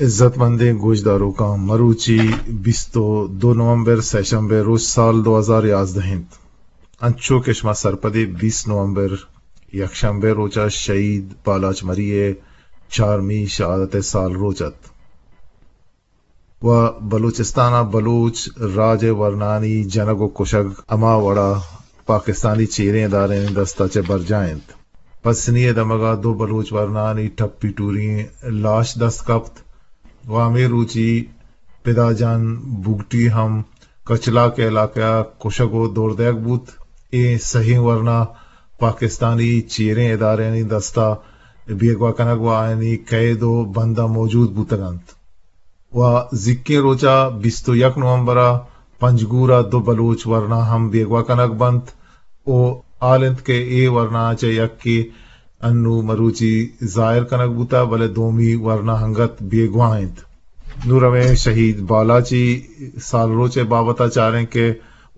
عزت مندیں گوشداروکاں، مروچی بیست و دو نومبر، سئے شمبے روچ، سال دو ہزار یازدہ انت۔ انچو کہ شما سرپدے، بیست نومبر یک شمبے روچا شہید بالاچ مری ء چارمی شہادت ء سال روچ ات۔ و بلوچستان ء بلوچ راج ء ورنانی جنگ و کشگ ہما وڑا پاکستانی چیریں ادارہانی دستا چہ برجاہ انت۔ پسنی ء دمگا دو بلوچ ورنانی ٹپی ٹوریں لاش دست کپت و ہمے روچی پدا جان بگٹی ہم کچلاک علاقہ ء کشگ و دور دئیگ بوت۔ اے سہیں ورنا پاکستانی چیریں ادارہانی دستا بیگواہ کنگ و آیانی قید و بنداں موجود بوتگ انت۔ و زیکیں روچا بیست و یک نومبر ء پنجگور ء دو بلوچ ورنا ہم بیگواہ کنگ بنت و حال انت کہ اے ورنا چہ یکے انو مروچی ظاہر کنگ بوتہ، بلے دومی ورنا انگت بیگواہ انت۔ نوں رویں شہید بالاچی سالروچ ء بابت ء چاریں کہ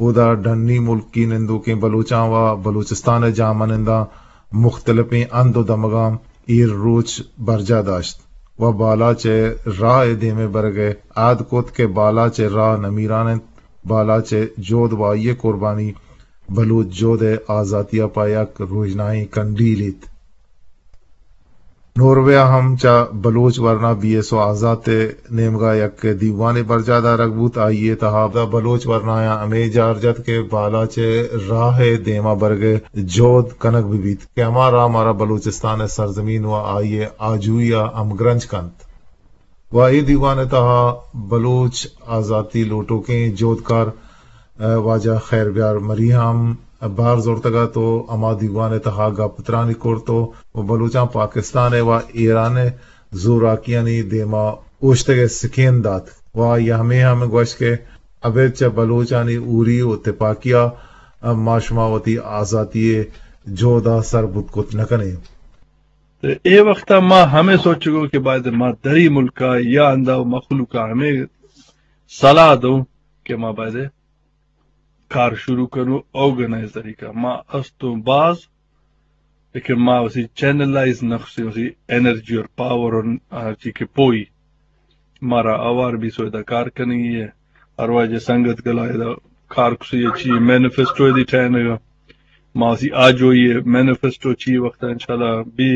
اودا ڈنی ملکی نندوکیں بلوچاں و بلوچستان ء جاہمننداں مختلفیں ہند و دمگاں ایر روچ برجاہ داشت و بالاچ ء راہ ء دیم ء برگ ء عہد کت کہ بالاچ ء راہ نمیران انت، بالاچ ء جہد و آئی ء قربانی بلوچ جہد ء آزاتی ء پہ یک روژنائیں کنڈیلے ات۔ نوروے ء ہم چہ بلوچ ورنا بی ایس او آزات ء نیمگا یک دیوانے برجاہ دارگ بوت۔ آئی ء تہا بلوچ ورنایاں ہمے جار جت کہ بالاچ ء راہ ء دیما برگ ء جہد کنگ بہ بیت کہ ہما راہ مارا بلوچستان ء سرزمین و آئی ء آجوئی ء ہمگرنچ کنت۔ و اے دیوان ء تہا بلوچ آزاتی لوٹوکیں جہدکار، ء، واجہ خیر بیار مری ہم بار زرتگ ات و ہما دیوان ء تہا گپ ترانی کرت و بلوچاں پاکستان ء و ایران ء زوراکیانی دیما اوشتگ ء سکین دات و آئی ء ہمے ہم گوشت کہ ابید چہ بلوچانی ہوری و تپاکی ء ما شما وتی آزاتی ء جہد ء سر بوت کت نہ کنیں۔ تے اے وخت ء ما ہمے سوچگوں کہ باید ما دری ملک ء یا ہندا مخلوق ء ہمے صلاح دوں کہ ما باید کار شروع کنوں آرگنائز طریقہ۔ ما استوں باز، لیکن ما وسی چینلائز نہ کسیں، وسی انرجی اور پاور اور ہر چی کہ پوئی مارا آوار بی سو ادا کار کنگی ہے۔ ہر واجہ سنگت گلا ادا کار کسی چی مینیفیسٹو دی ٹھہنگا۔ ما وسی آجوئی مینیفیسٹو چی وقت انشاءاللہ بی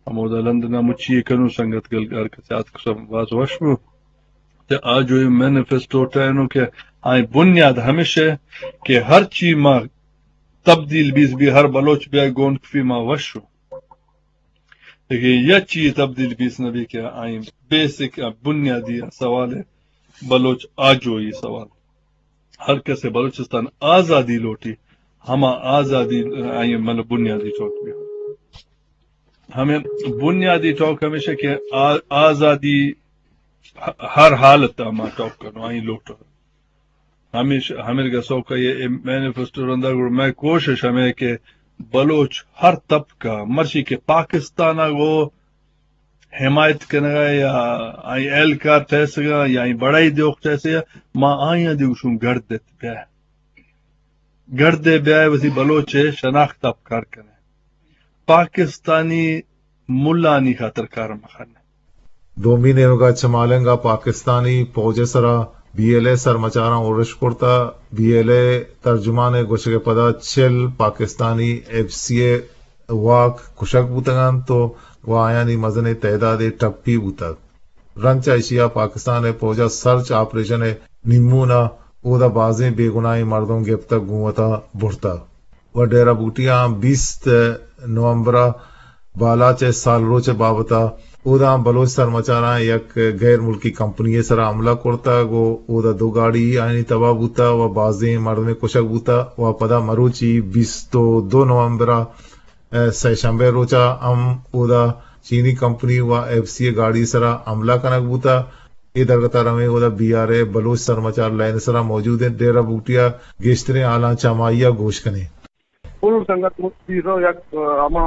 ہمودا لندن ء مچی کنوں سنگت گل ہر کس آتک سم باز وش بو۔ تے آجوئی مینیفیسٹو ٹہینوں کہ آئی بنیاد ہمیش ہے کہ ہر چی ما تبدیل بیس بی ہر بلوچ بیا گون کفی ما وش ہوں۔ لیکن یا چی تبدیل بیس نہ بی کہ آئی بیسک بنیادی سوال ہے بلوچ آجوئی سوال۔ ہر کس بلوچستان آزادی لوٹی، ہما آزادی آئی مطلب بنیادی چوک بی۔ ہمیں بنیادی ٹاک ہمیش ہے کہ آ-، آزادی ہ-، ہر حالت ء ما ٹاک کنوں، آئی لوٹ۔ ہمیش، ہمیں گسو کا یہ مینیفیسٹو رندا گڑ میں کوشش ہمیں کہ بلوچ ہر طبقہ مرشی کہ پاکستان ء گو حمایت کنگا یا آئی اہلکار ٹھہسگا یا آئی بڑائی دیوک ٹھہسگا، ما آئی دیوشوں گڑد دیت بیا۔ گڑدے بیائے وتی بلوچ ء شناخت ء پکار کنے۔ پاکستانی ملانی خاطر کار مخنے۔ دومی نیمگا چمالنگا پاکستانی پوج ء سرا بی ایل اے سرمچاراں ارش کرتا۔ بی ایل اے ترجمان ء گوشگ ء پدا چل پاکستانی ایف سی ء واک کشگ بوتگ انت و آیانی مزنیں تعدادے ٹپی بوتگ۔ رند چہ ایشی ء پاکستان ء پوج ء سرچ آپریشن ء نیمون ء اودا بازیں بے گناہیں مردم گپتگ گوں وتا برتگ۔ و ڈیرہ بگٹی ء بیست نومبر ء بالاچ ء سالروچ ء بابت ء اودا بلوچ سرمچاراں یک غیر ملکی کمپنی ء سرا حملہ کرتگ و اودا دو گاڑی آیانی تباہ بوتگ و بازیں مردمے کشگ بوتگ و پدا مروچی بیست و دو نومبر ء ء سئے شمبے روچا ہم اودا چینی کمپنی و ایف سی ء گاڑی سرا حملہ کنگ بوتا۔ اے درگتا رویں اودا بی آر اے بلوچ سرمچار لائن سرا موجود انت۔ ڈیرہ بگٹی ء گیشتریں حالاں چہ ہمائی ء گوش کنیں۔ پرو سنگت مستیزو یک، ء، ہما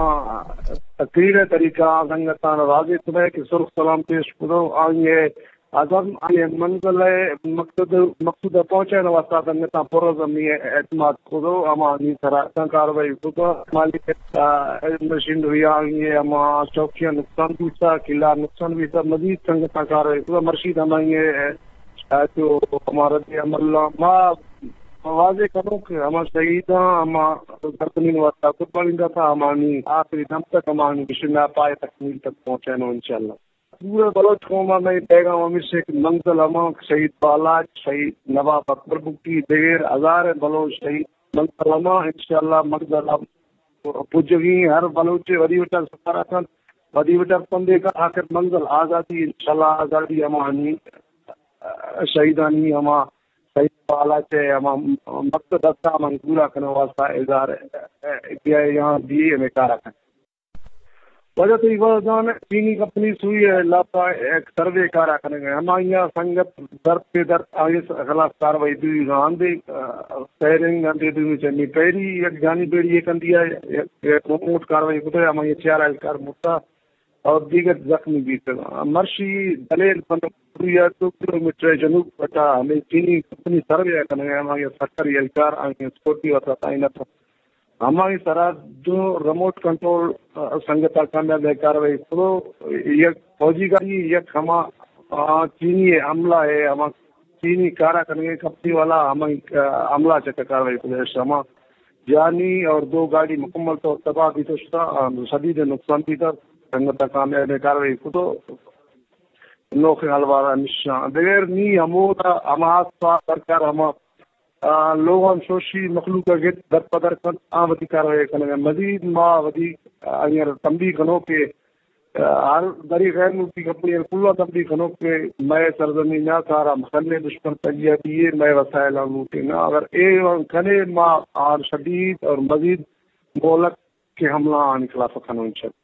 تقریر ء طریقہ آ سنگتان راضی کنئے کہ سرخ سلام پیش کنو، آئی ء عزم، آئی منزل ءِ مقصد، مقصود ءَ پہنچائینگ ءِ واستہ سنگتاں پرعزمی اعتماد کتو، ہمانی سرا اتاں کاروائی کتو، مالی، آ، مشینری آنگی ہما چوکیاں نقصان بیتا، قلعہ نقصان بیتا، مزید سنگتاں کاروائی کتو، مرشید ہمائی، آ، جو ہمارا رد عمل ما واضح کنوں کہ ہما شہیداں، ہما زرکنین واسطہ قربانی داتا، ہمانی آخری دم تک، ہمانی مشن ءَ پائے تکمیل تک پہنچائینوں انشاءاللہ۔ پورے بلوچ قوم ءَ مئے پیغام ہمیش اِنت کہ منزل ہما، شہید بالاچ، شہید نواب اکبر بگٹی، دگہ ہزاریں بلوچ شہید، منزل ہما، انشاءاللہ منزل ہم پجگی، ہر بلوچ ودی وٹا سفر کنت، ودی وٹا پندے کا آخر منزل آزادی، انشاءاللہ آزادی ہمانی شہیدانی ہما، شہید بالاچ ءِ ہما مقصد ہستا، ہمانی پورا کنگ واسطہ اظہار کیا یہاں دیے ہمیں کارا کن۔ واجہ تئی وزان چینی کمپنی سوئی ءِ لاپا یک سروے کارا کنگ ءَ، ہمائی ءَ سنگت در پہ در آئی خلاف کاروائی دوئی ءَ ہندے، آ، فائرنگ ہندے دومی چمی پیری یک جانی پیری یک ہندی ءَ یک، یک ریموٹ کاروائی کتہ، ہمائی ءَ چار اہلکار مرتا اور دیگر زخمی بیتگ۔ مرشی دلیل پنڈ یا دو کلومیٹر جنوب پٹا ہمیں چینی کمپنی سروے کنگ ءَ، ہمائی ءَ سرکاری اہلکار آئی سکیورٹی واسطہ تعینات ہمائی سرا دو ریموٹ کنٹرول، آ، سنگت ءَ کامیاب ءَ کاروائی کتو، یک فوجی گاڑی، یک ہما، آ، چینی عملہ ءِ، ہما چینی کارا کنگے کمپنی والا ہمائی، آ، عملہ چکا کاروائی کتو۔ ہما جانی اور دو گاڑی مکمل طور تباہ بیتو شتا، آ، شدید نقصان بیتا، سنگت ءَ کامیاب ءَ کاروائی کتو۔ نوخیں حلوارا نشان۔ دگر نی ہمودا ہما آس پاس سرکار ہما آ، لوگان شوشی مخلوق ءَ گت در پدر کنت، آ وتی کاروائی کنگ ءَ۔ مزید ما وتی، آ، آئی ءَ را تنبیہ کنوں کہ، آ، ہر دری غیر ملکی کمپنی ءَ کلاں تنبیہ کنوں کہ مئے سرزمین ءَ کارا مکنے، دشمن تلیہ دیے، مئے وسائل ہم لوٹے نا۔ اگر اے کنے ما آر شدید اور مزید مہلت کہ حملہ آنی خلاف ءَ کنوں انشاءاللہ۔